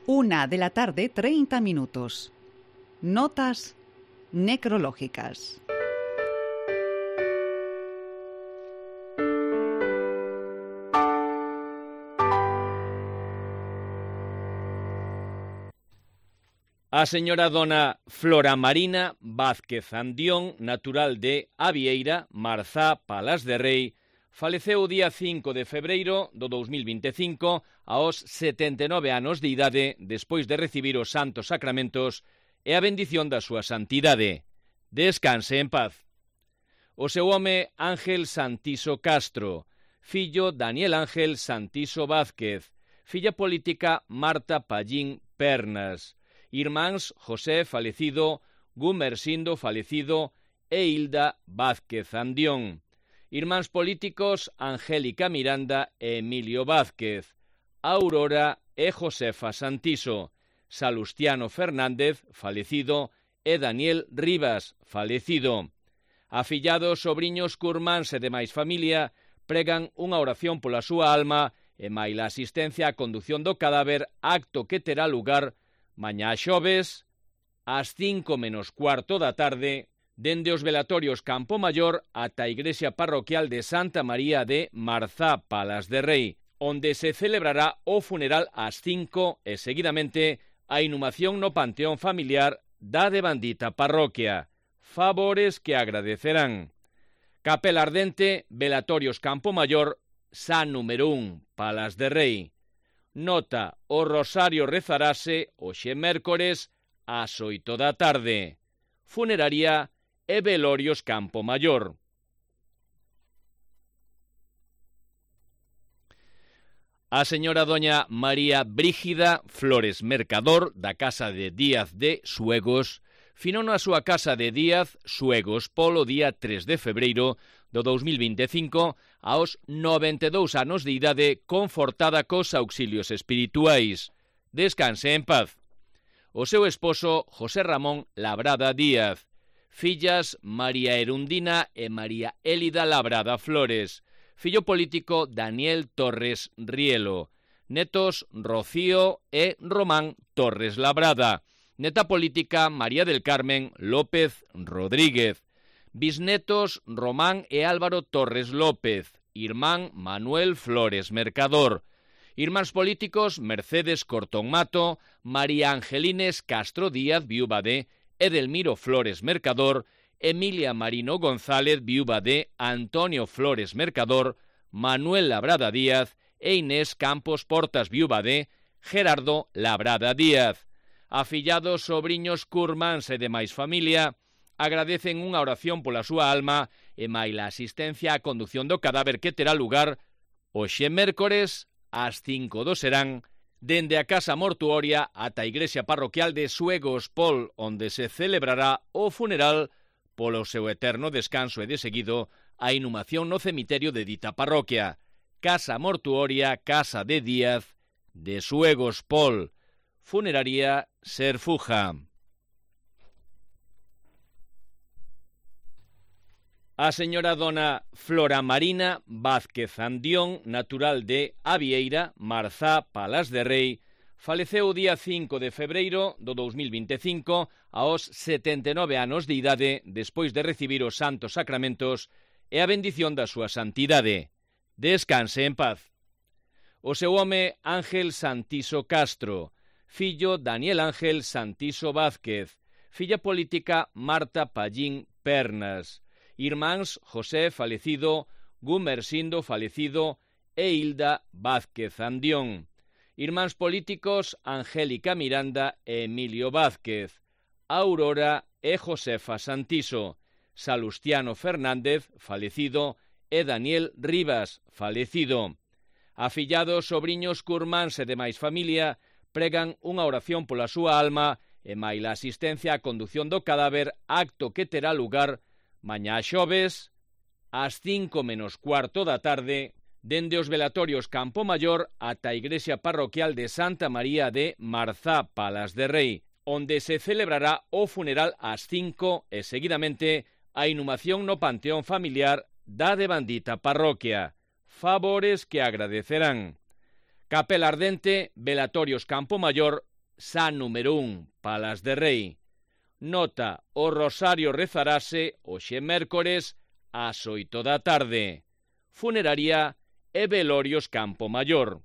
1:30 p.m. Notas necrológicas. A señora dona Flora Marina Vázquez Andión, natural de Avieira, Marzá, Palas de Rei, faleceu o día 5 de febreiro do 2025 aos 79 anos de idade despois de recibir os santos sacramentos e a bendición da súa santidade. Descanse en paz. O seu home Ángel Santiso Castro, fillo Daniel Ángel Santiso Vázquez, filla política Marta Pallín Pernas, irmáns José falecido, Gumersindo falecido e Hilda Vázquez Andión. Irmáns políticos Angélica Miranda e Emilio Vázquez, Aurora e Josefa Santiso, Salustiano Fernández falecido e Daniel Rivas falecido. Afillados, sobriños, curmáns e demais familia pregan unha oración pola súa alma e maila asistencia á condución do cadáver, acto que terá lugar mañá xoves, ás 5:15 da tarde, dende os velatorios Campo Maior ata a igrexa parroquial de Santa María de Marzá, Palas de Rei, onde se celebrará o funeral ás 5 e, seguidamente, a inhumación no panteón familiar da devandita parroquia. Favores que agradecerán. Capela ardente, velatorios Campo Maior, San número 1, Palas de Rei. Nota, o rosario rezarase hoxe mércores ás 8 da tarde. Funeraria e velorios Campo Maior. A señora doña María Brígida Flores Mercador, da casa de Díaz de Suegos, finou na súa casa de Díaz, Suegos, polo día 3 de febreiro do 2025, aos 92 anos de idade, confortada cos auxilios espirituais. Descanse en paz. O seu esposo, José Ramón Labrada Díaz. Fillas María Erundina e María Élida Labrada Flores. Fillo político Daniel Torres Rielo. Netos Rocío e Román Torres Labrada. Neta política María del Carmen López Rodríguez. Bisnetos Román e Álvaro Torres López. Irmán Manuel Flores Mercador. Irmáns políticos Mercedes Cortón Mato, María Angelines Castro Díaz, viúva de Edelmiro Flores Mercador, Emilia Marino González, viúva de Antonio Flores Mercador, Manuel Labrada Díaz e Inés Campos Portas, viúva de Gerardo Labrada Díaz. Afillados, sobriños, curmáns e demais familia agradecen unha oración pola súa alma e maila asistencia á condución do cadáver que terá lugar hoxe mércores ás 5 do serán, dende a casa mortuoria ata a igrexa parroquial de Suegos Pol, onde se celebrará o funeral polo seu eterno descanso e de seguido a inhumación no cemiterio de dita parroquia. Casa mortuoria, casa de Díaz de Suegos Pol. Funeraria Serfuja. A señora dona Flora Marina Vázquez Andión, natural de Avieira, Marzá, Palas de Rei, faleceu o día 5 de febreiro do 2025 aos 79 anos de idade despois de recibir os santos sacramentos e a bendición da súa santidade. Descanse en paz. O seu home Ángel Santiso Castro, fillo Daniel Ángel Santiso Vázquez, filla política Marta Pallín Pernas, irmáns José falecido, Gumersindo falecido e Hilda Vázquez Andión. Irmáns políticos Angélica Miranda e Emilio Vázquez, Aurora e Josefa Santiso, Salustiano Fernández falecido e Daniel Rivas falecido. Afillados, sobriños, curmáns e demais familia pregan unha oración pola súa alma e maila asistencia á condución do cadáver, acto que terá lugar mañá xoves, ás 5:15 da tarde, dende os velatorios Campo Maior ata a igrexa parroquial de Santa María de Marzá, Palas de Rei, onde se celebrará o funeral ás 5 e, seguidamente, a inhumación no panteón familiar da devandita parroquia. Favores que agradecerán. Capela ardente, velatorios Campo Maior, San número 1, Palas de Rei. Nota, o rosario rezarase hoxe mércores ás 8 da tarde. Funeraria e velorios Campo Maior.